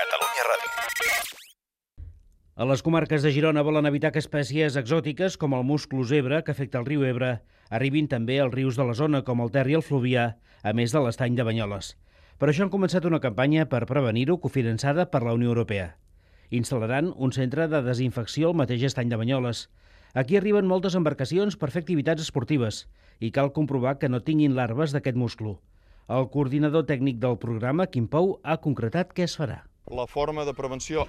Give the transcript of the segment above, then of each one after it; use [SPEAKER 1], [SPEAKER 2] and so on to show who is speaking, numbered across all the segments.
[SPEAKER 1] Catalunya Ràdio.
[SPEAKER 2] A les comarques de Girona volen evitar que espècies exòtiques com el musclo zebra, que afecta el riu Ebre, arribin també als rius de la zona, com el Ter i el Fluvià, a més de l'estany de Banyoles. Per això han començat una campanya per prevenir-ho, cofinançada per la Unió Europea. Instal·laran un centre de desinfecció al mateix estany de Banyoles. Aquí arriben moltes embarcacions per fer activitats esportives i cal comprovar que no tinguin larves d'aquest musclo. El coordinador tècnic del programa, Quim Pou, ha concretat què es farà.
[SPEAKER 3] La forma de prevenció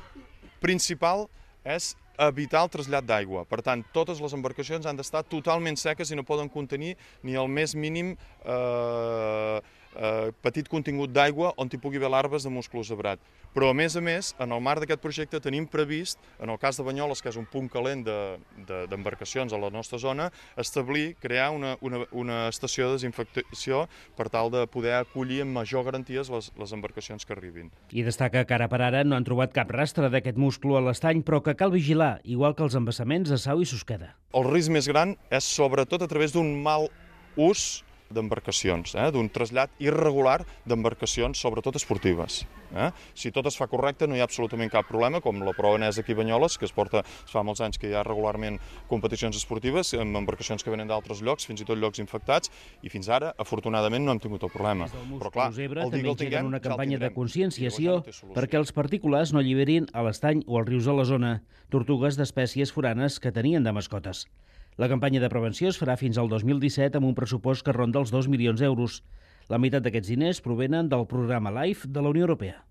[SPEAKER 3] principal és evitar el trasllat d'aigua. Per tant, totes les embarcacions han d'estar totalment seques i no poden contenir ni el més mínim petit contingut d'aigua on hi pugui haver larves de musclo zebrat. Però, a més, en el marc d'aquest projecte tenim previst, en el cas de Banyoles, que és un punt calent d'embarcacions a la nostra zona, crear una estació de desinfecció per tal de poder acollir amb major garanties les embarcacions que arribin.
[SPEAKER 2] I destaca que ara per ara no han trobat cap rastre d'aquest musclo a l'estany, però que cal vigilar, igual que els embassaments de Sau i Susqueda.
[SPEAKER 3] El risc més gran és sobretot a través d'un mal ús d'embarcacions, d'un trasllat irregular d'embarcacions, sobretot esportives. Si tot es fa correcte no hi ha absolutament cap problema, com la prova n'és aquí a Banyoles, que es fa molts anys que hi ha regularment competicions esportives amb embarcacions que venen d'altres llocs, fins i tot llocs infectats, i fins ara, afortunadament, no hem tingut el problema.
[SPEAKER 2] Però clar, el dia que el tinguem, una campanya de conscienciació perquè els particulars no alliberin a l'estany o als rius de la zona tortugues d'espècies foranes que tenien de mascotes. La campanya de prevenció es farà fins al 2017 amb un pressupost que ronda els 2 milions d'euros. La meitat d'aquests diners provenen del programa LIFE de la Unió Europea.